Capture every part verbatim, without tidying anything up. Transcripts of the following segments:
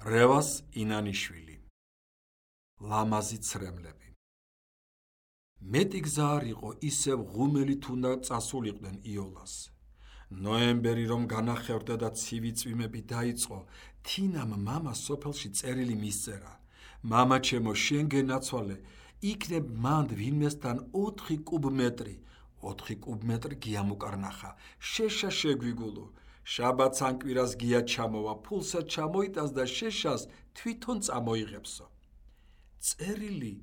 რევას ინანიშვილი. ლამაზი ცრემლები. მეტი გზა არ იყო ისევ ღუმელით უნდა წასულიყვნენ იოლას. ნოემბერი რომ განახევდა და ცივი წვიმები დაიწყო, თინამ მამა სოფელში წერილი მისწერა. მამა ჩემო, შენ გენაცვალე, იქნებ მანდ ვინმესთან ოთხი კუბმეტრი, ოთხი კუბმეტრი გიამ უკარნახა, შეშა შეგვიგულო. შაბათს ან კვირას გია ჩამოვა, ფულსა ჩამოიტანს და შეშას თვითონ წამოიღებსო. წერილი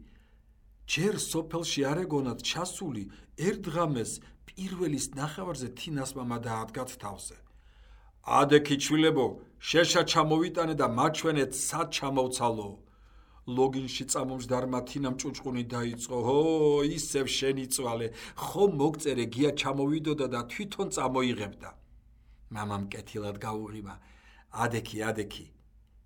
ჯერ სოფელში არ ეგონათ ჩასული, ერთღამეს პირველის ნახევარზე თინას მამა დაადგათ თავზე. ადექი ჩვილებო, შეშა ჩამოვიტანე და მაჩვენეთ სად ჩამოვცალო. ლოგინში წამომჯდარმა თინამ ჭუჭყუნი დაიწყო. ჰო, ისევ შენიწვალე, ხომ მოგწერე გია ჩამოვიდოდა და თვითონ წამოიღებდა. მამამ კეთილად გაუღიმა. ადექი, ადექი,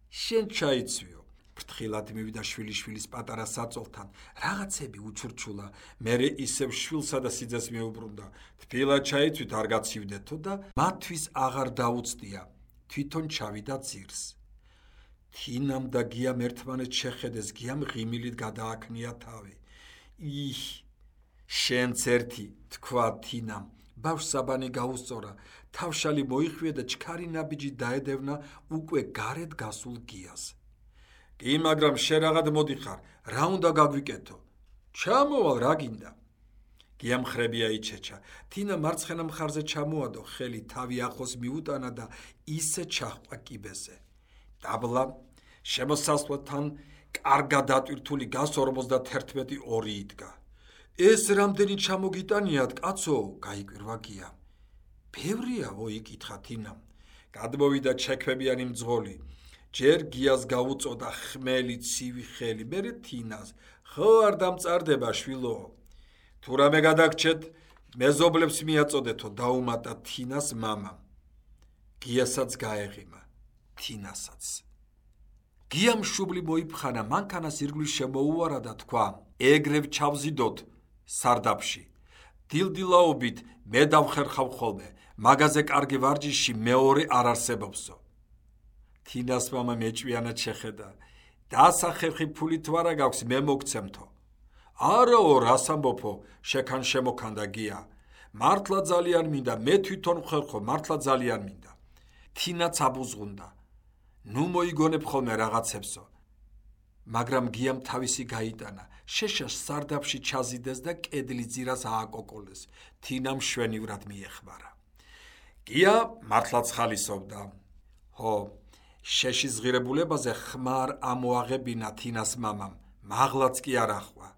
შენ ჩაიცვიო. ფრთხილად მივიდა შვილიშვილის პატარა საწოლთან, რაღაცები უჩურჩულა, მერე ისევ შვილსა და სიძეს მიუბრუნდა. თბილად ჩაიცვით, არ გაცივდეთო და მათთვის აღარ დაუცდია, თვითონ ჩავიდა ძირს. თინამ და გიამ ერთმანეთს შეხედეს, გიამ ღიმილით გადააქმნია თავი. იჰ, შენც ერთი, თქვა თინამ. ბავშვს საბანი გაუსწორა, თავშალი მოიხვია და ჩქარი ნაბიჯი დაედევნა უკვე გარეთ გასულ გიას. კი, მაგრამ შენ რაღაც მოდიხარ, რა უნდა გაგვიკეთო? ჩამოვალ, რა გინდა? გიამ ხრებია იჩეჩა. თინა მარცხენა მხარზე ჩამოადო, ხელი თავი ახლოს მიუტანა და ისე ჩაჰყვა კიბეზე. დაბლა შემოსასვლელთან კარგად დატვირთული გას ორმოცდათერთმეტი ორი იდგა. ეს რამდენი ჩამოგიტანიათ, კაცო? გაიკვირვა გია. ბევრიაო, იკითხა თინამ. გადმოვიდა ჩექვებიანი მძღოლი. ჯერ გიას გაუწოდა ხმელი ცივი ხელი, მერე თინას. ხო, არ დამწარდება შვილო. თუ რამე გადაგჩეთ, მეზობლებს მიაწოდეთო, დაუმატა თინას მამამ. გიასაც გაეღიმა, თინასაც. გიამ შუბლი მოიფხანა, მანქანას ირგვლივ შემოუარა და თქვა: ეგრევ ჩავზიდოთ სარდაფში. დილდილაობით მე დავხერხავ ხოლმე, მაგაზე კარგი ვარჯიში მეორე არ არსებობსო. თინას მამა მეჭვიანად შეხედა. დასახერხი ფულით ვარა გაქვს, მე მოგცემთო. არაო, რას ამბობო, შეკან შემოქანდა გია. მართლა ძალიან მინდა, მე თვითონ ვხერხო, მართლა ძალიან მინდა. თინაც აბუზღუნდა. ნუ მოიგონებ ხოლმე რაღაცებსო. მაგრამ გიამ თავისი გაიტანა, შეშას სარდაფში ჩაზიდეს და კედლის ძირას ააკოკოლეს. თინამ შვენივრად მიეხმარა. გია მართლაც ხალისობდა. ჰო, შეშის ღირებულებაზე ხმარ ამოაღებინა თინას მამამ, მაღლაც კი არ ახვა.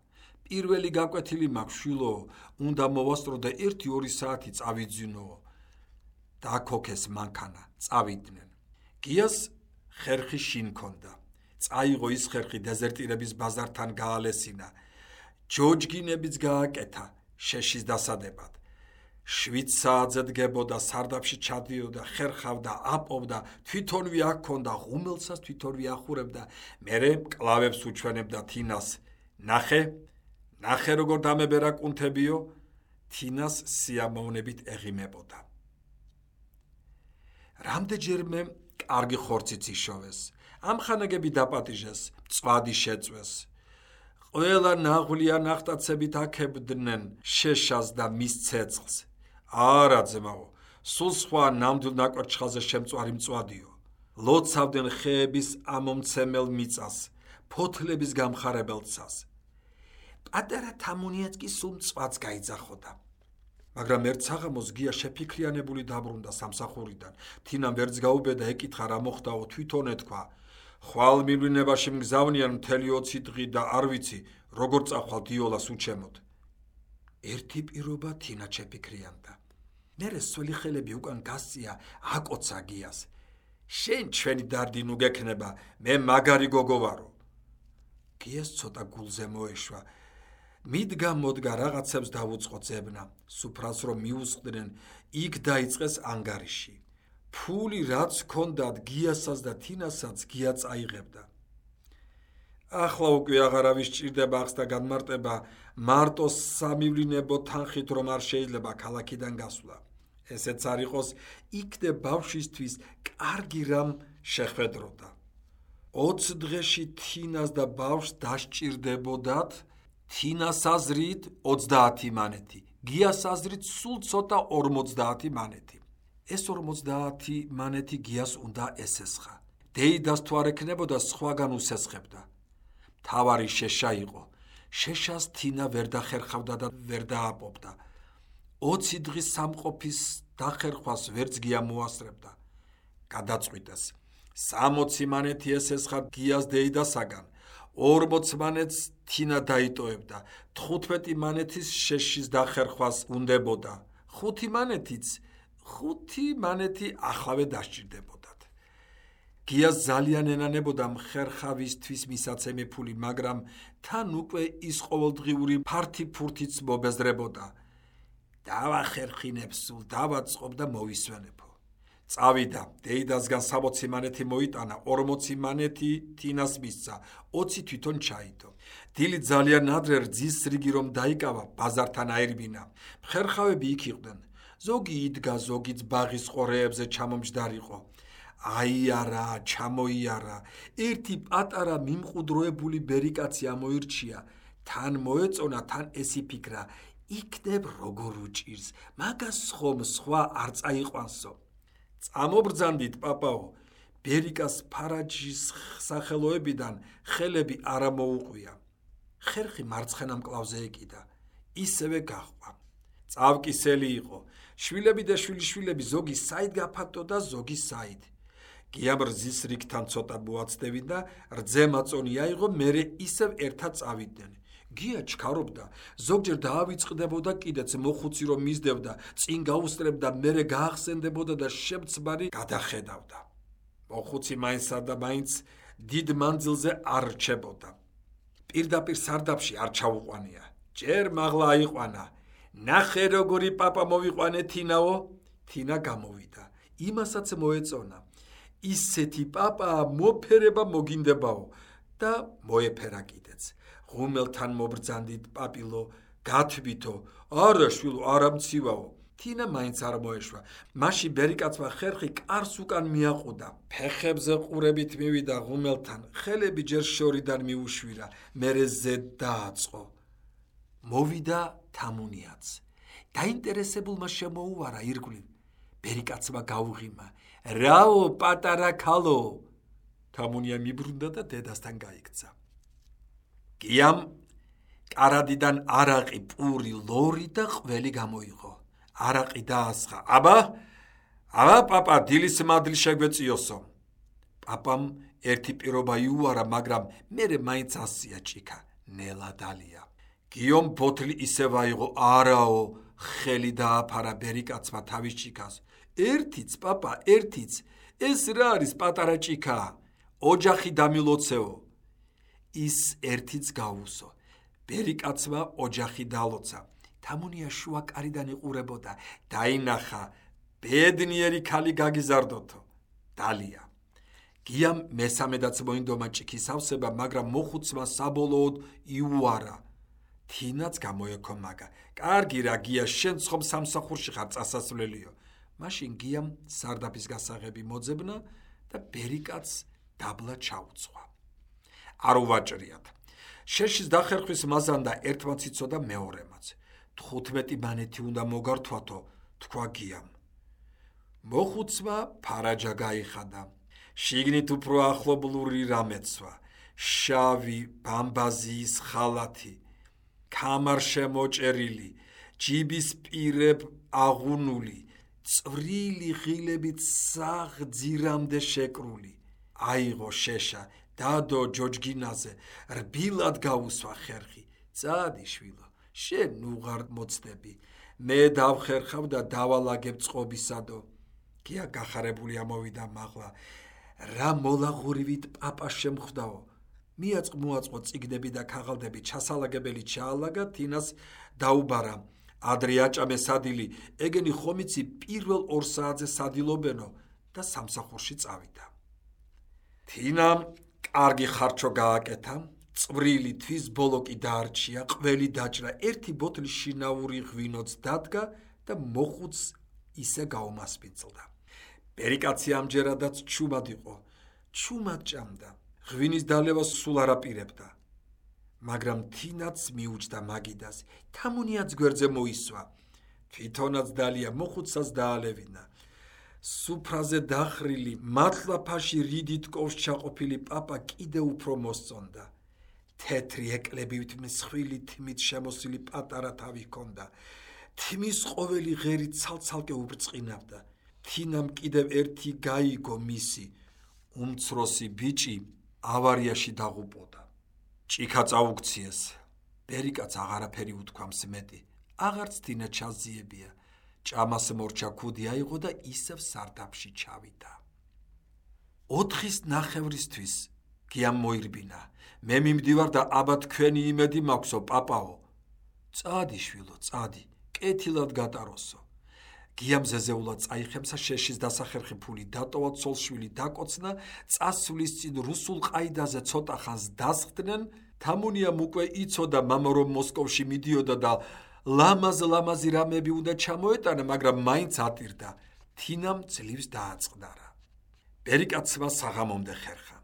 პირველი გაკვეთილი მაქვს, შვილო, უნდა მოვასწრო და ერთი-ორი საათი წავიძინო. დაქოქეს მანქანა, წავიდნენ. გიას ხერხი შინ ქონდა. წაიღო ის ხერხი დეზერტირების ბაზართან გაალესინა. ჯოჯგინებიც გააკეთა შეშის დასადებად. შვიდ საათზე დგებოდა, სარდაფში ჩადიოდა, ხერხავდა, აპობდა, თვითონვე აქ ქონდა, ღუმელსაც თვითონვე ახურებდა, მერე კლავებს უჩვენებდა თინას. ნახე, ნახე როგორ დამებერა კუნთებიო, თინას სიამოვნებით ეღიმებოდა. რამდენჯერმე კარგი ხორციც იშოვეს, ამხანაგები დაპატიჟეს, მწვადი შეწვეს. ყველა ნაღვლია ნახტაცებით აქებდნენ შეშას და მის ცეცხლს. არა ძმაო, სულ სხვა ნამდვილ ნაკვერჩხალზე შემწვარი მწვადიო. ლოცავდნენ ხეების ამომცემელ მიწას, ფოთლების გამხარებელ ცას. პატარა თამუნიაც კი სულ მწვადს გაიძახოდა. მაგრამ ერთ საღამოს გია შეფიქრიანებული დაბრუნდა სამსახურიდან. თინამ ვერც გაუბედა, ეკითხა რა მოხდაო, თვითონ ეთქვა. ხვალ მივლინებაში მგზავნიან მთელი ოცი დღე და არ ვიცი, როგორ წახვალ იოლას უჩემოთ. ერთი პირობა თინა შეფიქრიანდა. მერე სველი ხელები უკან გასწია, აკოცა გიას. შენ ჩვენი დარდი ნუ გექნება, მე მაგარი გოგო ვარო. გიას ცოტა გულზე მოეშვა. მიდგა მოდგა რაღაცებს დავუწყო ძებნა, სუფრას რომ მიუსხდნენ, იქ დაიწყეს ანგარიში. ფული რაც ჰქონდათ გიასაც და თინასაც გია წაიღებდა. ახლა უკვე აღარავის ჭირდება ახს და განმარტება, მარტო სამივლინებო თანხით რომ არ შეიძლება ქალაქიდან გასვლა. ესეც არ იყოს, იქნებ ბავშვისთვის კარგი რამ შეხვედროდა. ოც დღეში თინას და ბავშვს დასჭირდებოდათ თინას აზრით ოცდაათი მანეთი, გიას აზრით სულ ცოტა ორმოცდაათი მანეთი. ეს ორმოცდაათი მანეთი გიას უნდა ესესხა. დეიდას თუ არ ექნებოდა, სხვაგან უსესხებდა. მთავარი შეშა იყო. შეშას თინა ვერ დახერხავდა და ვერ დააპობდა. ოცი დღის სამყოფის დახერხვას ვერც გია მოასწრებდა. გადაწყვიტეს. სამოცი მანეთი ესესხა გიას დეიდასაგან, ორმოც მანეთს თინა დაიტოვებდა, თხუთმეტი მანეთის შეშის დახერხვას უნდებოდა, ხუთი მანეთიც, ხუთი მანეთი ახავე დასჭირდებოდათ. გიას ძალიან ენანებოდა მხერხავისთვის მისაცემი ფული, მაგრამ თან უკვე ის ყოველდღიური ფართი ფურთიც მობეზრებოდა. დავახერხინებ სულ, დავაწყობ და მოვისვენებო. წავიდა, დეიდასგან სამოცი მანეთი მოიტანა, ორმოცი მანეთი თინას მისცა, ოცი თვითონ ჩაიდო. დილი ძალიან ადრე რძის რიგი რომ დაიკავა, ბაზართან აირბინა. მხერხავები იქ იყვნენ. ზოგი იდგა, ზოგიც ბაღის ყორეებზე ჩამომჯდარიყო. აიარა, ჩამოიარა. ერთი პატარა მიმყუდროებული ბერიკაცი ამოირჩია. თან მოეწონა, თან ეს იფიქრა, იქნებ როგორ უჭირს, მაგას ხომ სხვა არ წაიყვანსო. წამობრძანდით, პაპაო, ბერიკას ფარაჯის სახელოებიდან ხელები არ მოუყვია. ხერხი მარცხენა მკლავზე ეკიდა, ისევე გაჰყვა. წავკისელი იყო. შვილები და შვილიშვილები ზოგი საით გაფართო და ზოგი საით. გიამ რძის რიგთან ცოტა მოაცდევინ და რძე მაწონი აიღო, მერე ისევ ერთად წავიდნენ. გია ჩქარობდა, ზოგჯერ დაავიწყდებოდა, კიდეც მოხუცი რომ მისდევდა, წინ გაუსწრებდა, მერე გაახსენდებოდა და შემცბარი გადახედავდა. მოხუცი მაინცსა და მაინც დიდ მანძილზე არ რჩებოდა. პირდაპირ სარდაფში არ ჩაუყვანია. ჯერ მაღლა აიყვანა. ნახე როგორი პაპა მოვიყვანე თინაო. თინა გამოვიდა. იმასაც მოეწონა. ისეთი პაპაა, მოფერება მოგინდებაო და მოეფერა კიდეც. ღუმელთან მობრძანდით, პაპილო, გათვითო, არა შვილო, არა მცივაო. თინა მაინც არ მოეშვა. მაშინ ბერიკაცმა ხერხი კარს უკან მიაყუდა. ფეხებზე ყურებით მივიდა ღუმელთან, ხელები ჯერ შორიდან მიუშვირა, მერე ზედ დააწყო. მოვიდა თამუნიაც. დაინტერესებულმა შემოუვარა ირგვლივ. ბერიკაცმა გაუღიმა, რაო პატარა ქალო. თამუნია მიბრუნდა და დედასთან გაიქცა. გიამ კარადიდან არაყი, პური, ლორი და ყველი გამოიღო. არაყი დაასხა. აბა, აბა პაპა, დილის მადლი შეგვეწიოსო. პაპამ ერთი პირობა იუარა, მაგრამ მერე მაინც ასია ჭიქა, ნელა დალია. გიომ ბოთლი ისევ აიღო, არაო, ხელი დააფარა ბერიკაცმა თავის ჭიქას. ერთიც, პაპა, ერთიც, ეს რა არის პატარა ჭიქა? ოჯახი დამილოცეო. ის ერთიც გაუსო. ბერიკაცმა ოჯახი დალოცა. თამუნია შუა კარიდან იყურებოდა, დაინახა, ბედნიერი ქალი გაგიზარდოთო. დალია. გიამ მესამედაც მოინდომა ჭიქის ავსება, მაგრამ მოხუცმა საბოლოოდ იუარა. თინაც გამოექო მაგა. კარგი რა გია, შენ ხომ სამსახურში ხარ წასასვლელიო. მაშინ გიამ სარდაფის გასაღები მოძებნა და ბერიკაცს დაბლა ჩაუცვა. არ უვაჭრიათ. შეშის დახერხვის მაზანდა ერთმაც იცოდა მეორემაც. თხუთმეტი მანეთი უნდა მოგართვათო, თქვა გიამ. მოხუცმა ფარაჯა გაიხადა. შიგნით უფრო ახლობლური რამეცვა. შავი ბამბაზიის ხალათი, ქამარშემოჭერილი, ჯიბის პირებ აღუნული, წვრილი ღილებით საღძირამდე შეკრული. აიღო შეშა, დადო ჯოჯგინაზე, რბილად გაუსვა ხერხი. წადი შვილო, შენ უღარ მოცდები. მე დავხერხავ და დავალაგებ წყობისადო. გია გახარებული ამოვიდა მაღლა. რა მოლაღურივით პაპა შემხვდაო. მიაწყ მოაწყო წიგნები და ქაღალდები, ჩასალაგებელი ჩაალაგა, თინას დაუბარა. ადრე აჭამე სადილი, ეგენი ხომიცი პირველ ორ საათზე სადილობენო და სამსახურში წავიდა. თინამ კარგი ხარჩო გააკეთა, წვრილი თვის ბოლოკი დაარჩია, ყველი დაჭრა, ერთი ბოთლი შინაური ღვინოც დადგა და მოხუც ისე გაუმასპინძლდა. ბერიკაცი ამჯერადაც ჩუმად იყო. ჩუმად ჭამდა. ღვინის დალევას სულ არ აპირებდა. მაგრამ თინაც მიუჯდა მაგიდას, თამუნიაც გვერდზე მოისვა. თვითონაც დალია მოხუცსაც დაალევინა. სუფრაზე დახრილი, მართლაფაში რიდით კოვს ჩაყოფილი პაპა კიდევ უფრო მოსწონდა. თეთრი ეკლებით მსხვილი თმით შემოსილი პატარა თავი ჰქონდა. თმის ყოველი ღერი ცალ-ცალკე უბრწყინავდა. თინამ კიდევ ერთი გაიგო მისი უმცროსი ბიჭი ავარიაში დაღუპოდა. ჭიქა წაუქციეს. ბერიკაც აღარაფერი უთქვამს მეტი. აღარც თინა ჩაზიებია. ჭამას მორჩა ქუდი აიღო და ისევ სარდაფში ჩავიდა. ოთხის ნახევრისთვის გიამ მოირბინა. მე მიმდივარ და აბა თქვენი იმედი მაქვსო, პაპაო. წადი შვილო, წადი, კეთილად გატაროსო. გიამ ზეზეულად წაიხემსა შეშის დასახერხი ფული დატოვა, ცოლშვილი დაკოცნა, წასვლის წინ რუსულ ყაიდაზე ცოტა ხანს დასხდნენ. თამუნიამ უკვე იცოდა მამა რომ მოსკოვში მიდიოდა და ლამაზ-ლამაზი რამები უნდა ჩამოეტანა, მაგრამ მაინც ატირდა. თინამ ძლივს დააწყდარა. ბერიკაცმა საღამომდე ხერხა.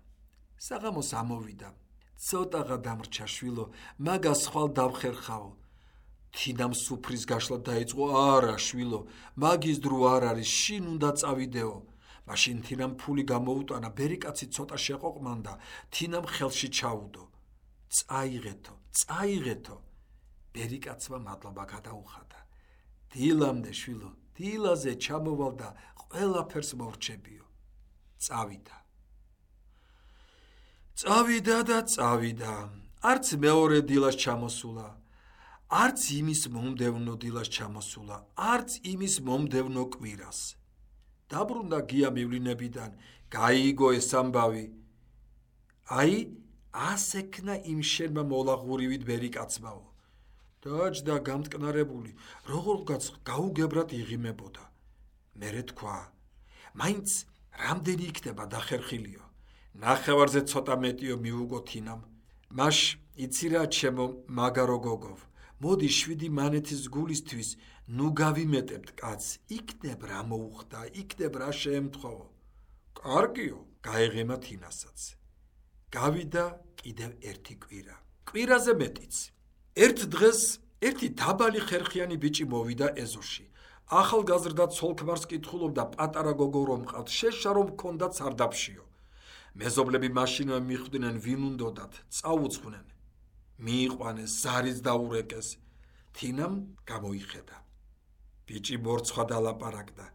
საღამოს ამოვიდა. ცოტაღა დამრჩა შვილო, მაგას ხვალ დავხერხაო. თინამ სუფრის გაშლა დაიწყო. არა შვილო, მაგის დრო არ არის, შინ უნდა წავიდეო. მაშინ თინამ ფული გამოუტანა, ბერიკაცი ცოტა შეყოყმანდა. თინამ ხელში ჩაუდო. წაიღეთო, წაიღეთო. ბერიკაცმა მადლობა გადაუხადა. დილამდე შვილო, დილაზე ჩამოვალ და ყველაფერს მორჩებიო. წავიდა. წავიდა და წავიდა. არც მეორე დილას ჩამოსულა. არც იმის მომდევნო დილას ჩამოსულა, არც იმის მომდევნო კვირას. დაბრუნდა გია მივლინებიდან, გაიგო ეს ამბავი. აი, ასექნა იმ შენმა მოლაღურივით ბერიკაცმაო. დაჯდა გამტკნარებული, როგორღაც გაუგებრად იღიმებოდა. მერე თქვა, მაინც რამდენი იქნება დახერხილიო. ნახევარზე ცოტა მეტიო მიუგო თინამ. მაშ იცი რა ჩემო მაგარო გოგოვ, მოდი შვიდი მანეთის გულისთვის ნუ გავიმეტებთ კაცს, იქნებ რა მოუხდა, იქნებ რა შეემთხოვო. კარგიო, გაეღიმა თინასაც. გავიდა კიდევ ერთი კვირა. კვირაზე მეტიც. ერთ დღეს ერთი დაბალი ხერხიანი ბიჭი მოვიდა ეზოში. ახალგაზრდა ცოლ-ქმარს კითხულობდა პატარა გოგო რომ მყავთ, შეშა რომ ჰქონდათ სარდაფშიო. მეზობლები მაშინვე მიხვდნენ ვინ უნდოდათ, წაუძღვნენ. მიიყვანეს, ზარიც დაურეკეს. თინამ გამოიხედა. ბიჭი მორცხვა დალაპარაკდა.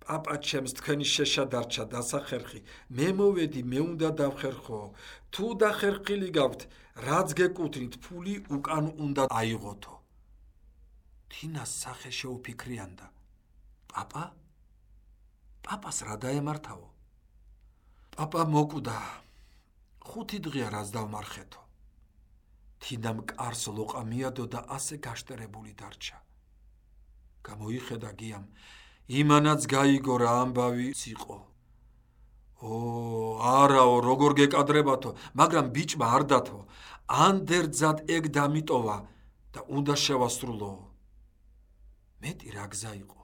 პაპა ჩემს, თქვენი შეშა დარჩა დასახერხი, მე მოვედი, მე უნდა დავხერხო. თუ დახერხილი გაქვთ, რაც გეკუთვნით, ფული უკან უნდა აიღოთო. თინას სახე შეუფიქრიანდა. პაპა? პაპას რა დაემართაო? პაპა მოკვდა. ხუთი დღეა რაც დავმარხეთო. თინამ კარს ლოყა მიადო და ასე გაშტერებული დარჩა. გამოიხედა გიამ, იმანაც გაიგო რა ამბავი იყო. ო, არაო, როგორ გეკადრებათო, მაგრამ ბიჭმა არ დათო, ანდერძად ეგ დამიტოვა და უნდა შევასრულო. მეტი რა გზა იყო.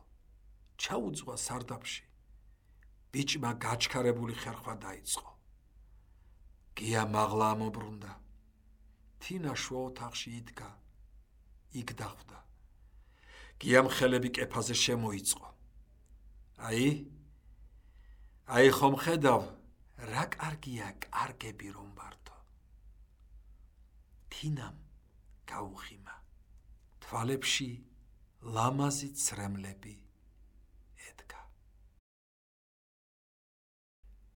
ჩაუძღვა სარდაფში. ბიჭმა გაჩქარებული ხერხვა დაიწყო. გია მაღლა ამობრუნდა. თინა შუა ოთახში იდგა. იქ დახვდა. გიამ ხელები კეფაზე შემოიწყო. აი, აი ხომ ხედავ, რა კარგია კარგები რომ ვართო. თინამ გაუხიმა. თვალებში ლამაზი ცრემლები